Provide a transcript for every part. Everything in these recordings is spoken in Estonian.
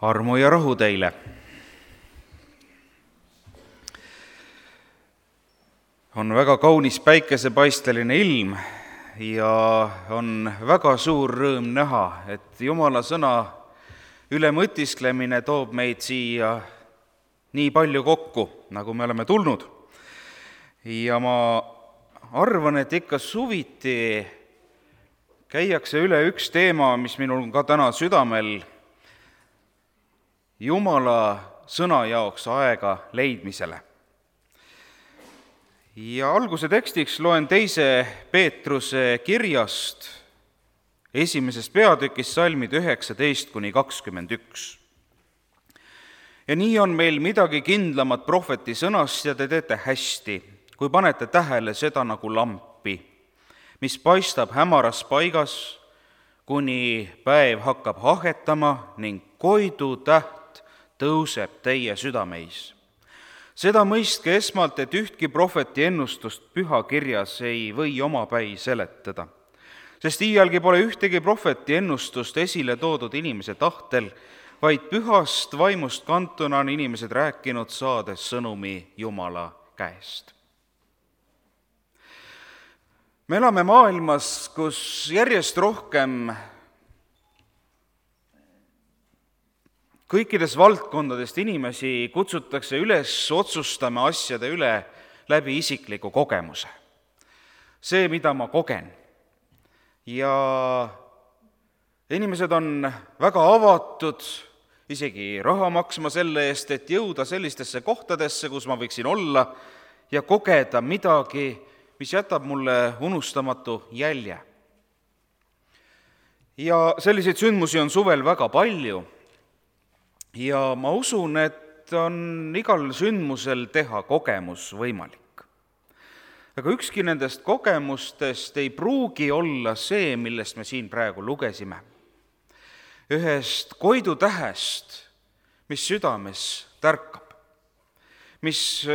Armu ja rahu teile. On väga kaunis päikesepaisteline ilm ja on väga suur rõõm näha, et Jumala sõna üle mõtisklemine toob meid siia nii palju kokku, nagu me oleme tulnud. Ja ma arvan, et ikka suviti käiakse üle üks teema, mis minul on ka täna südamel, Jumala sõna jaoks aega leidmisele. Ja alguse tekstiks loen 2. Peetruse kirjast 1. peatükist salmid 19-21. Ja nii on meil midagi kindlamat prohveti sõnast ja te teete hästi, kui panete tähele seda nagu lampi, mis paistab hämaras paigas, kuni päev hakkab ahetama ning koidu täht tõuseb teie südameis. Seda mõistke esmalt, et ühtki prohveti ennustust pühakirjas ei või omapäi seletada, sest iialgi pole ühtegi prohveti ennustust esile toodud inimese tahtel, vaid pühast vaimust kantuna on inimesed rääkinud, saades sõnumi Jumala käest. Me elame maailmas, kus järjest rohkem kõikides valdkondadest inimesi kutsutakse üles otsustama asjade üle läbi isikliku kogemuse. See, mida ma kogen. Ja inimesed on väga avatud, isegi raha maksma selle eest, et jõuda sellistesse kohtadesse, kus ma võiksin olla ja kogeda midagi, mis jätab mulle unustamatu jälje. Ja selliseid sündmusi on suvel väga palju. Ja ma usun, et on igal sündmusel teha kogemus võimalik. Aga ükski nendest kogemustest ei pruugi olla see, millest me siin praegu lugesime. Ühest koidutähest, mis südames tärkab, mis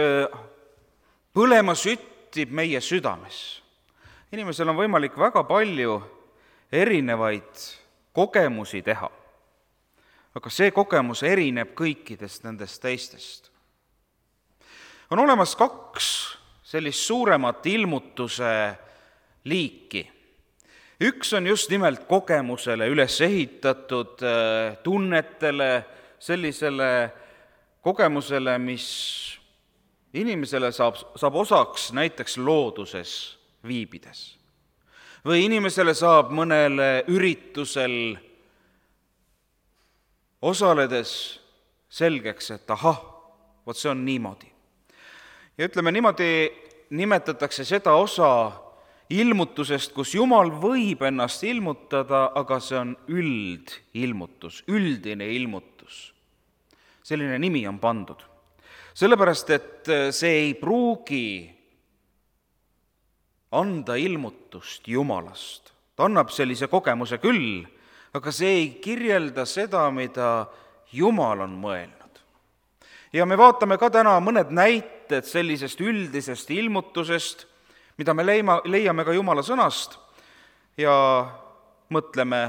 põlema süttib meie südames. Inimesel on võimalik väga palju erinevaid kogemusi teha. Aga see kogemus erineb kõikidest nendest teistest. On olemas 2 sellist suuremat ilmutuse liiki. Üks on just nimelt kogemusele üles ehitatud, tunnetele, sellisele kogemusele, mis inimesele saab osaks näiteks looduses viibides. Või inimesele saab mõnele üritusel osaledes selgeks, et ahah, vot see on niimoodi. Ja ütleme niimoodi, nimetatakse seda osa ilmutusest, kus Jumal võib ennast ilmutada, aga see on üldilmutus, üldine ilmutus. Selline nimi on pandud. Sellepärast, et see ei pruugi anda ilmutust Jumalast. Ta annab sellise kogemuse küll, aga see ei kirjelda seda, mida Jumal on mõelnud. Ja me vaatame ka täna mõned näited sellisest üldisest ilmutusest, mida me leiame ka Jumala sõnast ja mõtleme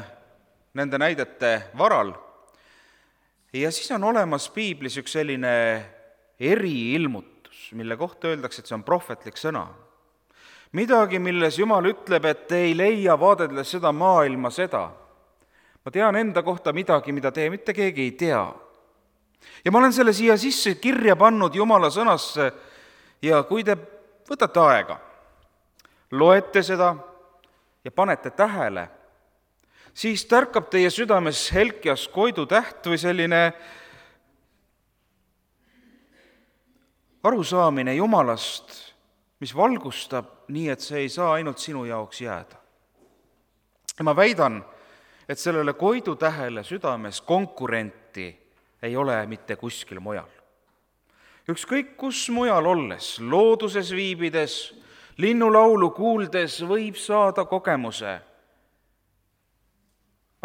nende näidete varal. Ja siis on olemas piiblis üks selline eriilmutus, mille kohta öeldakse, et see on prohvetlik sõna. Midagi, milles Jumal ütleb, et ei leia vaadeldes seda maailma seda. Ma tean enda kohta midagi, mida te mitte keegi ei tea. Ja ma olen selle siia sisse kirja pannud Jumala sõnasse ja kui te võtate aega, loete seda ja panete tähele, siis tärkab teie südames helkjas koidutäht või selline arusaamine Jumalast, mis valgustab nii, et see ei saa ainult sinu jaoks jääda. Ja ma väidan, et sellele koidutähele südames konkurenti ei ole mitte kuskil mujal. Ükskõik kus mujal olles, looduses viibides, linnulaulu kuuldes võib saada kogemuse.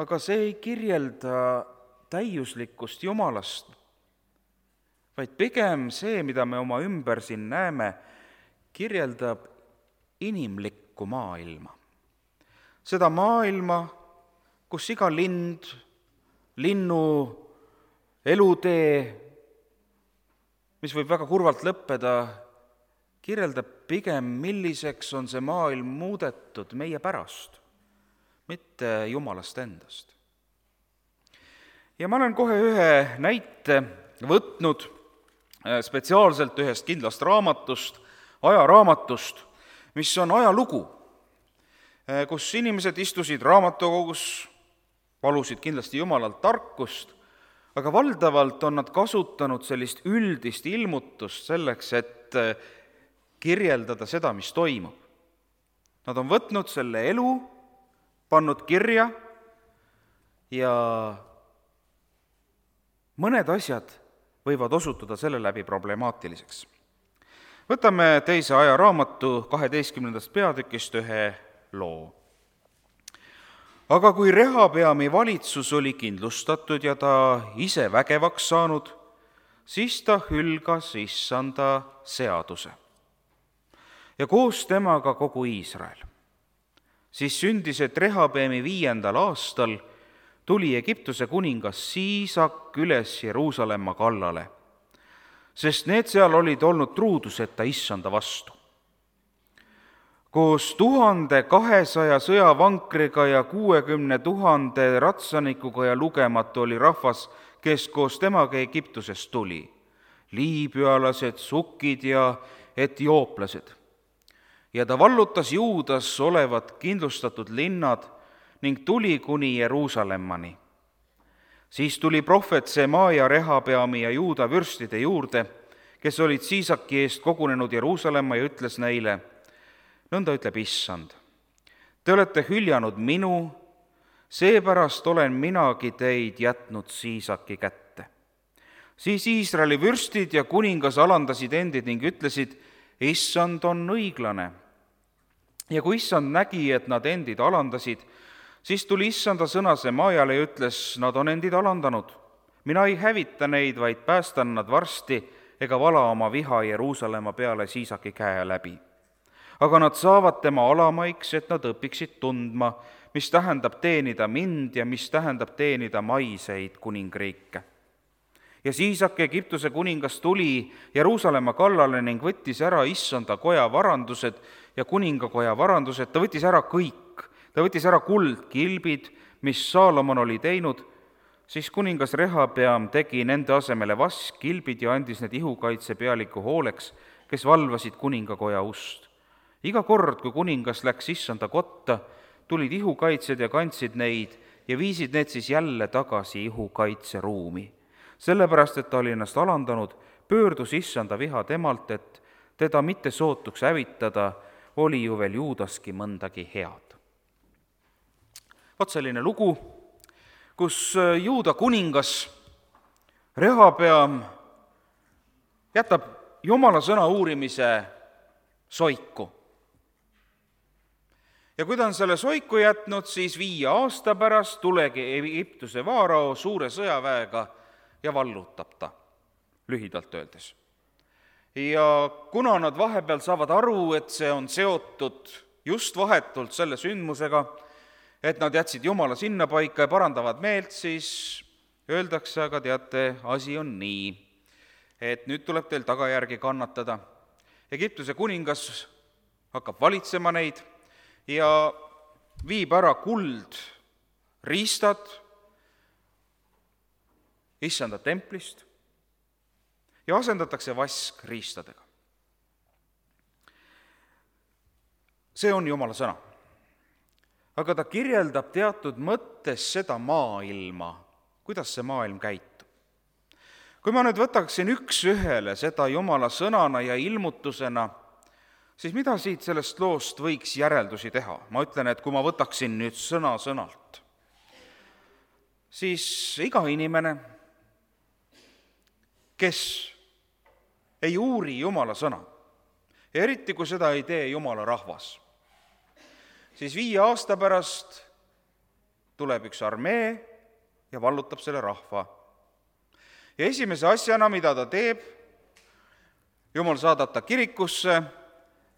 Aga see ei kirjelda täiuslikkust Jumalast, vaid pigem see, mida me oma ümber siin näeme, kirjeldab inimlikku maailma. Seda maailma, kus iga lind, linnu elutee, mis võib väga kurvalt lõppeda, kirjeldab pigem, milliseks on see maailm muudetud meie pärast, mitte Jumalast endast. Ja ma olen kohe ühe näite võtnud spetsiaalselt ühest kindlast raamatust, ajaraamatust, mis on ajalugu, kus inimesed istusid raamatukogus, palusid kindlasti Jumalalt tarkust, aga valdavalt on nad kasutanud sellist üldist ilmutust selleks, et kirjeldada seda, mis toimub. Nad on võtnud selle elu, pannud kirja ja mõned asjad võivad osutuda selle läbi problemaatiliseks. Võtame teise ajaraamatu 12. peatükist ühe loo. Aga kui Rehabeami valitsus oli kindlustatud ja ta ise vägevaks saanud, siis ta hülgas Issanda seaduse ja koos temaga kogu Iisrael. Siis sündis, et Rehabeami 5. aastal tuli Egiptuse kuningas Siisak üles Jeruusalemma kallale, sest need seal olid olnud truuduseta Issanda vastu. Koos 1200 sõjavankriga ja 60 000 ratsanikuga ja lugematu oli rahvas, kes koos temaga Egiptusest tuli, liibüalased, sukid ja etiooplased. Ja ta vallutas Juudas olevad kindlustatud linnad ning tuli kuni Jeruusалemmani. Siis tuli prohvet Semaia Rehabeami ja Juuda vürstide juurde, kes olid Siisaki eest kogunenud Jeruusalemma ja ütles neile, nõnda ütleb Issand, te olete hüljanud minu, seepärast olen minagi teid jätnud Siisaki kätte. Siis Iisraeli vürstid ja kuningas alandasid endid ning ütlesid, Issand on õiglane. Ja kui Issand nägi, et nad endid alandasid, siis tuli Issanda sõna Semaiale ja ütles, nad on endid alandanud. Mina ei hävita neid, vaid päästan nad varsti ega vala oma viha Jeruusalemma peale Siisaki käe läbi. Aga nad saavad tema alamaiks, et nad õpiksid tundma, mis tähendab teenida mind ja mis tähendab teenida maiseid kuningriike. Ja Siisak, Egiptuse kuningas, tuli Jeruusalemma kallale ning võttis ära Issanda koja varandused ja kuningakoja varandused, ta võttis ära kõik. Ta võttis ära kuldkilbid, mis Saalomon oli teinud, siis kuningas Rehabeam tegi nende asemele vaskkilbid ja andis need ihukaitse pealiku hooleks, kes valvasid kuningakoja ust. Iga kord, kui kuningas läks Issanda kotta, tulid ihukaitsjad ja kandsid neid ja viisid need siis jälle tagasi ihukaitseruumi. Sellepärast, et ta oli ennast alandanud, pöördus Issanda viha temalt, et teda mitte sootuks hävitada, oli ju veel Juudaski mõndagi head. Vot selline lugu, kus Juuda kuningas Rehabeam jätab Jumala sõna uurimise soiku. Ja kui ta on selle soiku jätnud, siis 5 aasta pärast tulegi Egiptuse vaarao suure sõjaväega ja vallutab ta, lühidalt öeldes. Ja kuna nad vahepeal saavad aru, et see on seotud just vahetult selle sündmusega, et nad jätsid Jumala sinna paika ja parandavad meelt, siis öeldakse, aga teate, asi on nii, et nüüd tuleb teil tagajärgi kannatada. Egiptuse kuningas hakkab valitsema neid ja viib ära kuldriistad Issanda templist ja asendatakse vaskriistadega. See on Jumala sõna. Aga ta kirjeldab teatud mõttes seda maailma, kuidas see maailm käitub. Kui ma nüüd võtaksin üks-ühele seda Jumala sõnana ja ilmutusena, siis mida siit sellest loost võiks järeldusi teha? Ma ütlen, et kui ma võtaksin nüüd sõna sõnalt, siis iga inimene, kes ei uuri Jumala sõna, ja eriti kui seda ei tee Jumala rahvas, siis 5 aasta pärast tuleb üks armee ja vallutab selle rahva. Ja esimese asjana, mida ta teeb, Jumal saadab ta kirikusse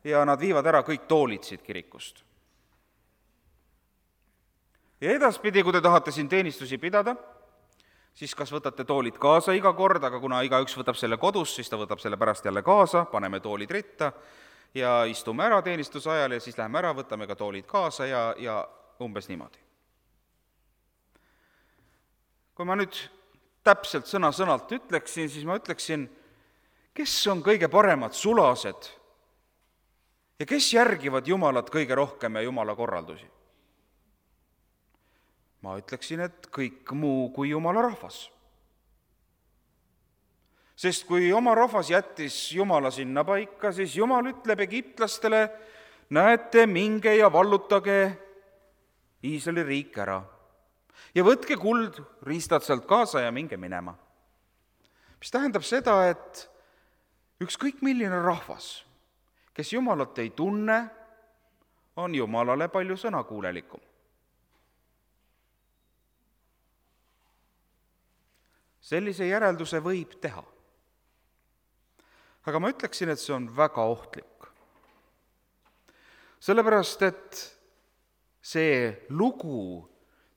ja nad viivad ära kõik toolid siit kirikust. Ja edaspidi, kui te tahate siin teenistusi pidada, siis kas võtate toolid kaasa iga kord, aga kuna igaüks võtab selle kodus, siis ta võtab selle pärast jälle kaasa, paneme toolid ritta ja istume ära teenistuse ajal ja siis läheme ära, võtame ka toolid kaasa ja umbes niimoodi. Kui ma nüüd täpselt sõna-sõnalt ütleksin, siis ma ütleksin, kes on kõige paremad sulased ja kes järgivad Jumalat kõige rohkem ja Jumala korraldusi? Ma ütleksin, et kõik muu kui Jumala rahvas. Sest kui oma rahvas jättis Jumala sinna paika, siis Jumal ütleb egiptlastele, näete, minge ja vallutage Iisraeli riik ära. Ja võtke kuld, riistad sealt kaasa ja minge minema. Mis tähendab seda, et ükskõik milline rahvas, kes Jumalat ei tunne, on Jumalale palju sõnakuulelikum. Sellise järelduse võib teha. Aga ma ütleksin, et see on väga ohtlik. Sellepärast, et see lugu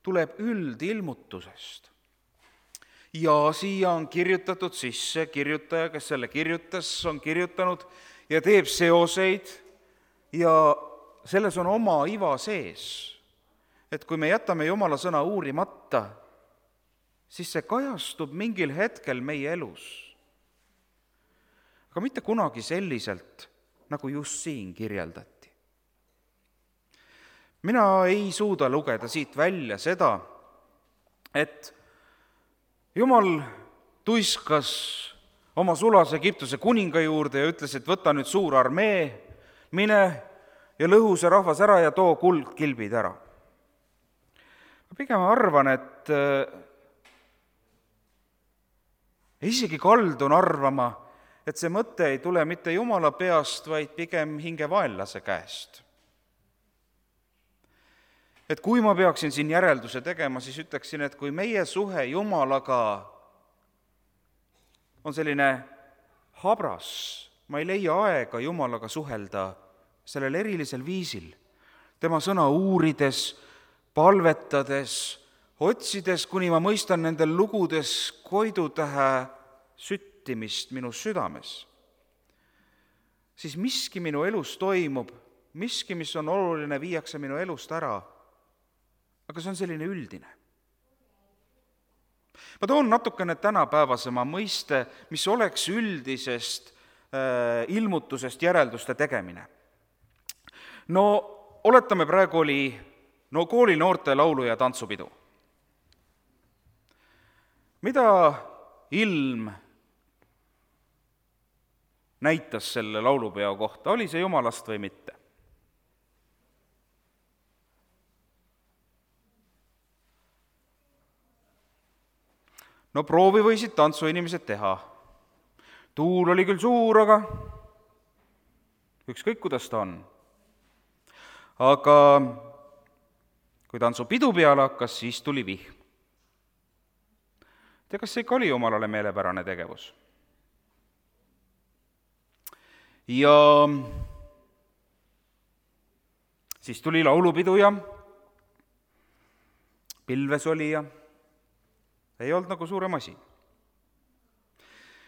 tuleb üldilmutusest. Ja siia on kirjutatud sisse kirjutaja, kes selle kirjutas, on kirjutanud ja teeb seoseid ja selles on oma iva sees. Et kui me jätame Jumala sõna uurimata, siis see kajastub mingil hetkel meie elus. Aga mitte kunagi selliselt, nagu just siin kirjeldati. Mina ei suuda lugeda siit välja seda, et Jumal tuiskas oma sulase Egiptuse kuninga juurde ja ütles, et võta nüüd suur armee, mine ja lõhu see rahvas ära ja too kuldkilbid ära. Ma pigem arvan, et isegi kaldun arvama, et see mõte ei tule mitte Jumala peast, vaid pigem hingevaenlase käest. Et kui ma peaksin siin järelduse tegema, siis ütleksin, et kui meie suhe Jumalaga on selline habras, ma ei leia aega Jumalaga suhelda sellel erilisel viisil, tema sõna uurides, palvetades, otsides, kuni ma mõistan nendel lugudes koidutähe süttimist minu südames, siis miski minu elus toimub, miski, mis on oluline, viiakse minu elust ära, aga see on selline üldine. Ma toon natukene tänapäevasema mõiste, mis oleks üldisest ilmutusest järelduste tegemine. No oletame, praegu oli koolinoorte laulu- ja tantsupidu. Mida ilm näitas selle laulupeo kohta, oli see Jumalast või mitte? No proovi võisid tantsuinimesed teha. Tuul oli küll suur, aga ükskõik, kuidas ta on. Aga kui tantsupidu peale hakkas, siis tuli vihm. Tea, kas see ikka oli Jumalale meelepärane tegevus? Ja siis tuli laulupidu ja pilves oli ja ei olnud nagu suurem asi.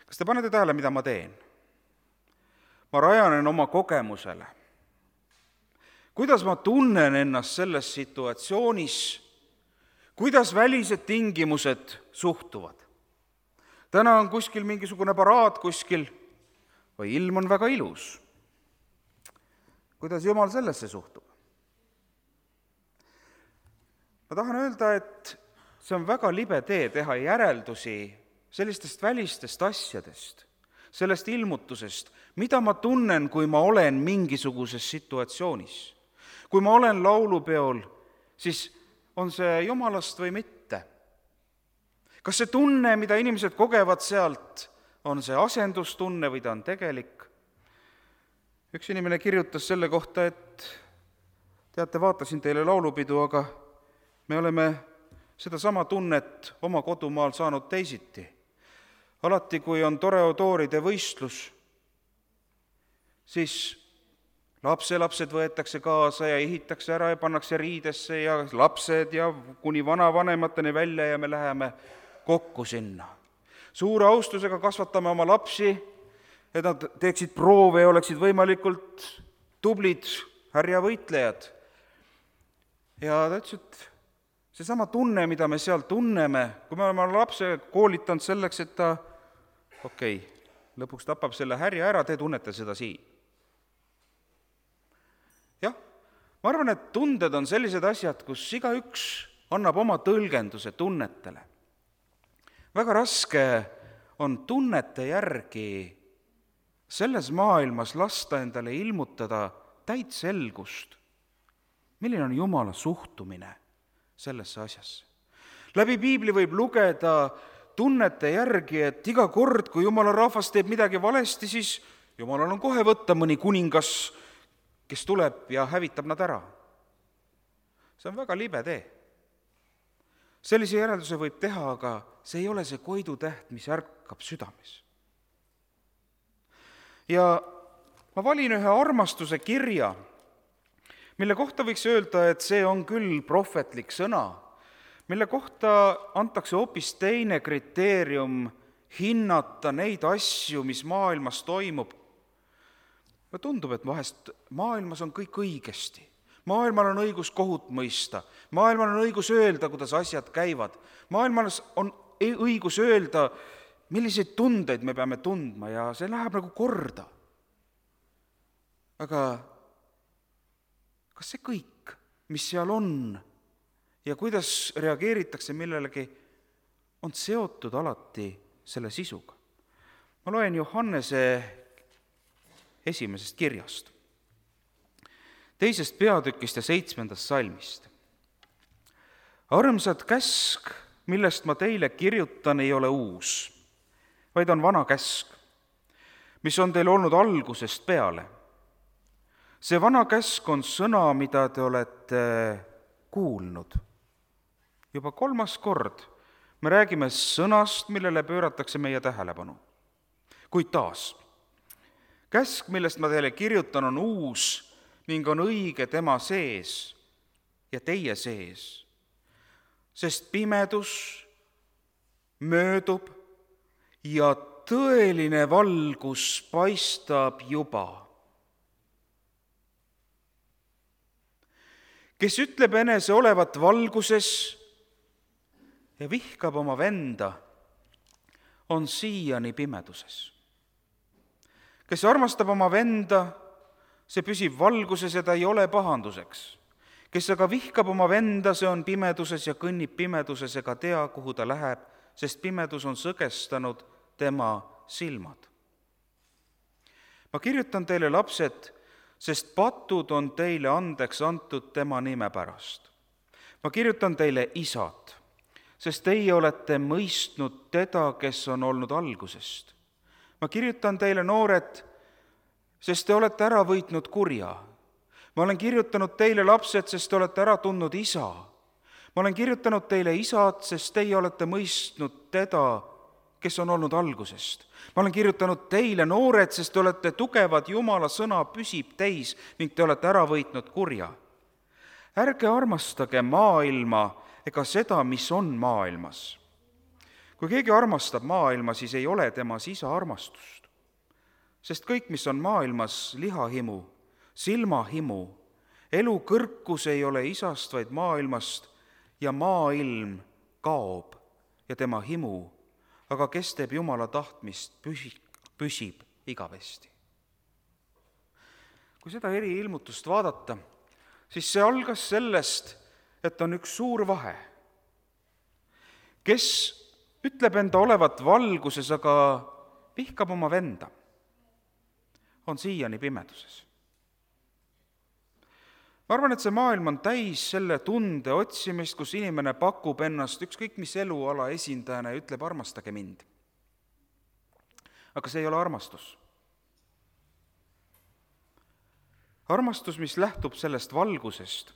Kas te panete tähele, mida ma teen? Ma rajanen oma kogemusele. Kuidas ma tunnen ennast selles situatsioonis, kuidas välised tingimused suhtuvad? Täna on kuskil mingisugune paraad kuskil või ilm on väga ilus. Kuidas Jumal sellesse suhtub? Ma tahan öelda, et see on väga libe tee teha järeldusi sellistest välistest asjadest, sellest ilmutusest, mida ma tunnen, kui ma olen mingisuguses situatsioonis. Kui ma olen laulupeol, siis on see Jumalast või mitte? Kas see tunne, mida inimesed kogevad sealt, on see asendustunne või ta on tegelik? Üks inimene kirjutas selle kohta, et teate, vaatasin teile laulupidu, aga me oleme seda sama tunnet oma kodumaal saanud teisiti. Alati, kui on toreodooride võistlus, siis lapselapsed võetakse kaasa ja ehitakse ära ja pannakse riidesse ja lapsed ja kuni vanavanemateni välja ja me läheme kokku sinna. Suure austusega kasvatame oma lapsi, et nad teeksid proove ja oleksid võimalikult tublid härjavõitlejad. Ja ta ütles, et seesama tunne, mida me seal tunneme, kui me oleme lapse koolitanud selleks, et ta lõpuks tapab selle härja ära, te tunnete seda siin. Jah, ma arvan, et tunded on sellised asjad, kus igaüks annab oma tõlgenduse tunnetele. Väga raske on tunnete järgi selles maailmas lasta endale ilmutada täit selgust, milline on Jumala suhtumine sellesse asjasse. Läbi piibli võib lugeda tunnete järgi, et iga kord, kui Jumala rahvas teeb midagi valesti, siis Jumalal on kohe võtta mõni kuningas, kes tuleb ja hävitab nad ära. See on väga libe tee. Sellise järelduse võib teha, aga see ei ole see koidutäht, mis ärkab südames. Ja ma valin ühe armastuse kirja, mille kohta võiks öelda, et see on küll prohvetlik sõna, mille kohta antakse hoopis teine kriteerium hinnata neid asju, mis maailmas toimub. Ja tundub, et vahest maailmas on kõik õigesti. Maailmal on õigus kohut mõista. Maailmal on õigus öelda, kuidas asjad käivad. Maailmal on õigus öelda, milliseid tundeid me peame tundma ja see läheb nagu korda. Aga kas see kõik, mis seal on ja kuidas reageeritakse millelegi, on seotud alati selle sisuga? Ma loen Johannese 1. kirjast, 2. peatükist ja 7. salmist. Armsad käsk, millest ma teile kirjutan, ei ole uus, vaid on vana käsk, mis on teil olnud algusest peale. See vana käsk on sõna, mida te olete kuulnud. Juba 3. kord me räägime sõnast, millele pööratakse meie tähelepanu. Kuid taas, käsk, millest ma teile kirjutan, on uus ning on õige tema sees ja teie sees, sest pimedus möödub ja tõeline valgus paistab juba. Kes ütleb enese olevat valguses ja vihkab oma venda, on siiani pimeduses. Kes armastab oma venda, see püsib valguses ja ta ei ole pahanduseks. Kes aga vihkab oma venda, see on pimeduses ja kõnnib pimeduses ega tea, kuhu ta läheb, sest pimedus on sõgestanud tema silmad. Ma kirjutan teile, lapsed, sest patud on teile andeks antud tema nime pärast. Ma kirjutan teile, isad, sest teie olete mõistnud teda, kes on olnud algusest. Ma kirjutan teile, noored, sest te olete ära võitnud kurja. Ma olen kirjutanud teile, lapsed, sest te olete ära tundnud isa. Ma olen kirjutanud teile, isad, sest teie olete mõistnud teda, kes on olnud algusest. Ma olen kirjutanud teile, noored, sest te olete tugevad, Jumala sõna püsib teis ning te olete ära võitnud kurja. Ärge armastage maailma ega seda, mis on maailmas. Kui keegi armastab maailma, siis ei ole temas isa armastust. Sest kõik, mis on maailmas, lihahimu, silmahimu, elu kõrkus ei ole isast, vaid maailmast ja maailm kaob ja tema himu, aga kes teeb Jumala tahtmist, püsib igavesti. Kui seda eriilmutust vaadata, siis see algas sellest, et on üks suur vahe. Kes ütleb enda olevat valguses, aga vihkab oma venda, on siiani pimeduses. Ma arvan, et see maailm on täis selle tunde otsimist, kus inimene pakub ennast ükskõik mis eluala esindajana ja ütleb, armastage mind. Aga see ei ole armastus. Armastus, mis lähtub sellest valgusest,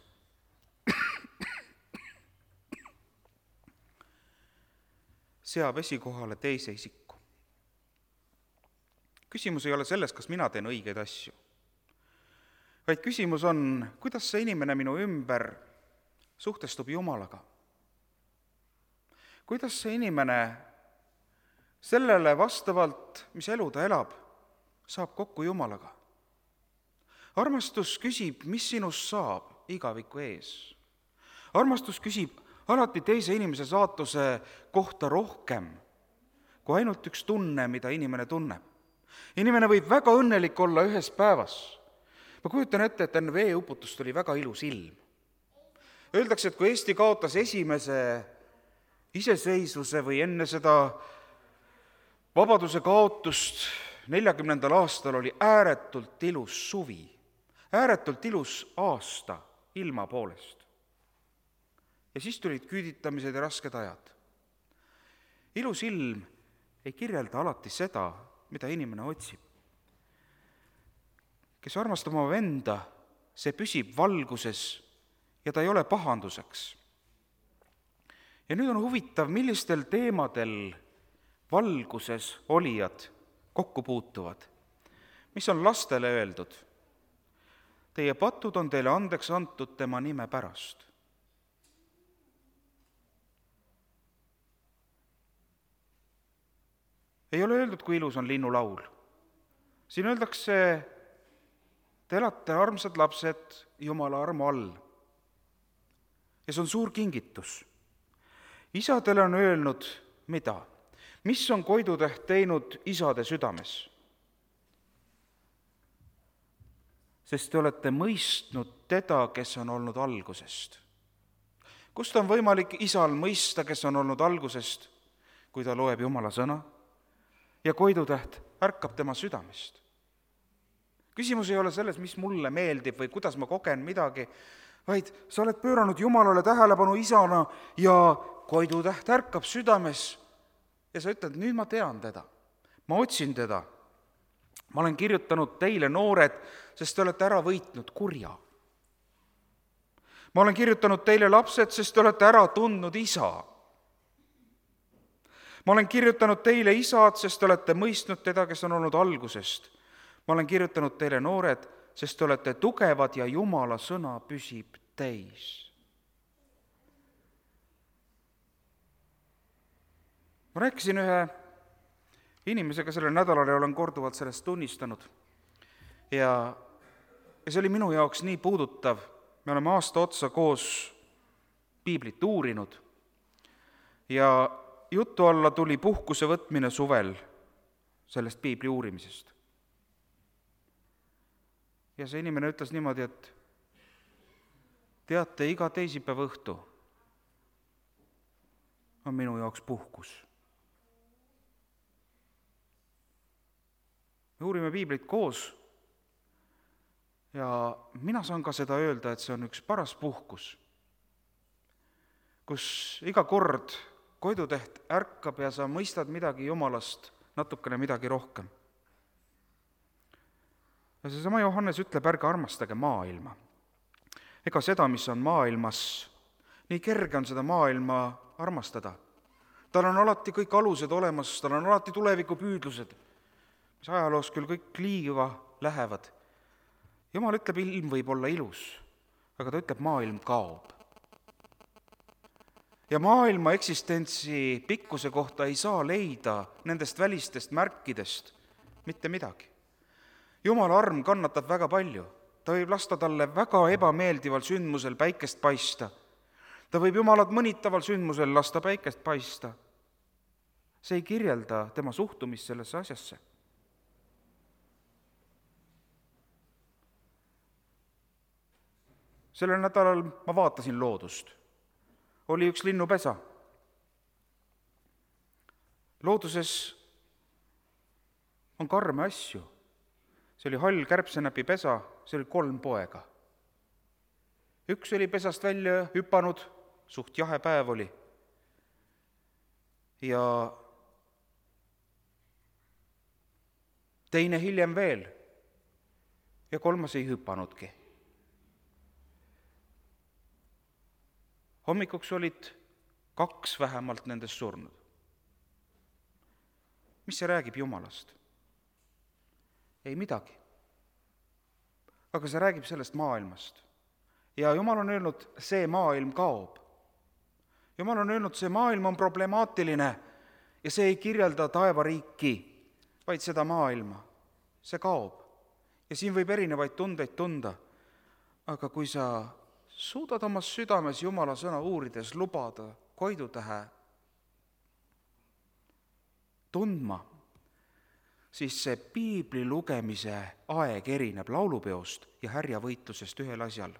seab esikohale teise isiku. Küsimus ei ole selles, kas mina teen õigeid asju, vaid küsimus on, kuidas see inimene minu ümber suhtestub Jumalaga. kuidas see inimene sellele vastavalt, mis elu ta elab, saab kokku Jumalaga. Armastus küsib, mis sinust saab igaviku ees. Armastus küsib alati teise inimese saatuse kohta rohkem kui ainult üks tunne, mida inimene tunneb. Inimene võib väga õnnelik olla ühes päevas. Ma kujutan ette, et enne veeuputust oli väga ilus ilm. Öeldakse, et kui Eesti kaotas esimese iseseisvuse või enne seda vabaduse kaotust 40. aastal oli ääretult ilus suvi, ääretult ilus aasta ilma poolest. Ja siis tulid küüditamised ja rasked ajad. Ilus ilm ei kirjelda alati seda, mida inimene otsib. Kes armastab oma venda, see püsib valguses ja ta ei ole pahanduseks. Ja nüüd on huvitav, millistel teemadel valguses olijad kokku puutuvad. Mis on lastele öeldud? Teie patud on teile andeks antud tema nime pärast. Ei ole öeldud, kui ilus on linnulaul. Siin öeldakse, te elate armsad lapsed Jumala armu all. Ja see on suur kingitus. Isadele on öelnud, mida? Mis on koidutäht teinud isade südames? Sest te olete mõistnud teda, kes on olnud algusest. Kust on võimalik isal mõista, kes on olnud algusest, kui ta loeb Jumala sõna? Ja koidutäht ärkab tema südamest. Küsimus ei ole selles, mis mulle meeldib või kuidas ma kogen midagi, vaid sa oled pööranud Jumalale tähelepanu isana ja koidutäht ärkab südames ja sa ütled, nüüd ma tean teda, ma otsin teda. Ma olen kirjutanud teile, noored, sest te olete ära võitnud kurja. Ma olen kirjutanud teile, lapsed, sest te olete ära tundnud isa. Ma olen kirjutanud teile, isad, sest te olete mõistnud teda, kes on olnud algusest. Ma olen kirjutanud teile, noored, sest te olete tugevad ja Jumala sõna püsib teis. Ma rääkisin ühe inimesega sellel nädalal ja olen korduvalt sellest tunnistanud. Ja see oli minu jaoks nii puudutav. Me oleme aasta otsa koos piiblit uurinud ja jutu alla tuli puhkuse võtmine suvel sellest piibli uurimisest. Ja see inimene ütles niimoodi, et teate, iga teisipäeva õhtu on minu jaoks puhkus. Me uurime piiblit koos ja mina saan ka seda öelda, et see on üks paras puhkus, kus iga kord koidutäht ärkab ja sa mõistad midagi Jumalast, natukene midagi rohkem. Ja seesama Johannes ütleb, ärge armastage maailma. Ega seda, mis on maailmas, nii kerge on seda maailma armastada. Tal on alati kõik alused olemas, tal on alati tulevikupüüdlused, mis ajaloos küll kõik liiva lähevad. Jumal ütleb, ilm võib olla ilus, aga ta ütleb, maailm kaob. Ja maailma eksistentsi pikkuse kohta ei saa leida nendest välistest märkidest mitte midagi. Jumala arm kannatab väga palju. Ta võib lasta talle väga ebameeldival sündmusel päikest paista. Ta võib Jumalat mõnitaval sündmusel lasta päikest paista. See ei kirjelda tema suhtumist sellesse asjasse. Sellel nädalal ma vaatasin loodust. Oli üks linnupesa. Looduses on karme asju. See oli hall kärbsenäpi pesa, see oli 3 poega. Üks oli pesast välja hüpanud, suht jahe päev oli. Ja teine hiljem veel. Ja 3 ei hüpanudki. Hommikuks olid 2 vähemalt nendest surnud. Mis see räägib Jumalast? Ei midagi. Aga see räägib sellest maailmast. Ja Jumal on öelnud, see maailm kaob. Jumal on öelnud, see maailm on problemaatiline ja see ei kirjelda taevariiki, vaid seda maailma. See kaob ja siin võib erinevaid tundeid tunda. Aga kui sa suudad oma südames Jumala sõna uurides lubada koidutähe tundma, siis see piibli lugemise aeg erineb laulupeost ja härjavõitlusest ühel asjal.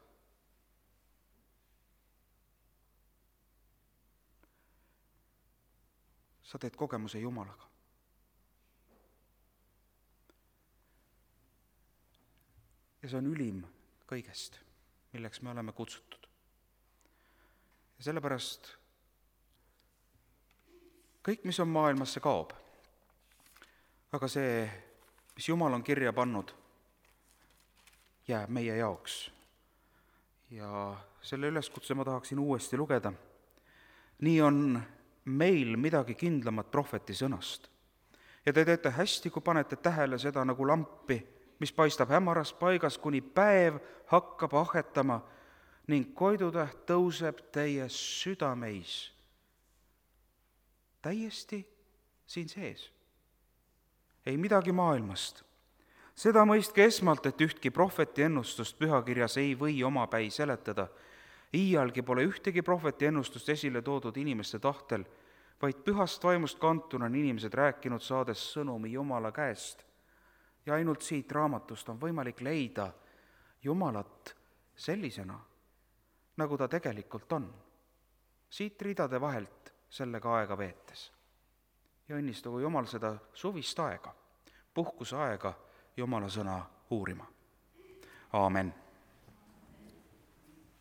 Sa teed kogemuse Jumalaga. Ja see on ülim kõigest, milleks me oleme kutsutud. Ja sellepärast kõik, mis on maailmas, see kaob. Aga see, mis Jumal on kirja pannud, jääb meie jaoks. Ja selle üleskutse ma tahaksin uuesti lugeda. Nii on meil midagi kindlamat prohveti sõnast. Ja te teete hästi, kui panete tähele seda nagu lampi, mis paistab hämaras paigas, kuni päev hakkab ahetama ning koidutäht tõuseb teie südameis. Täiesti siin sees. Ei midagi maailmast. Seda mõistke esmalt, et ühtki prohveti ennustust pühakirjas ei või omapäi seletada. Iialgi pole ühtegi prohveti ennustust esile toodud inimeste tahtel, vaid pühast vaimust kantuna on inimesed rääkinud, saades sõnumi Jumala käest. Ja ainult siit raamatust on võimalik leida Jumalat sellisena, nagu ta tegelikult on. Siit ridade vahelt sellega aega veetes. Ja õnnistagu Jumal seda suvist aega, puhkuse aega Jumala sõna uurima. Aamen.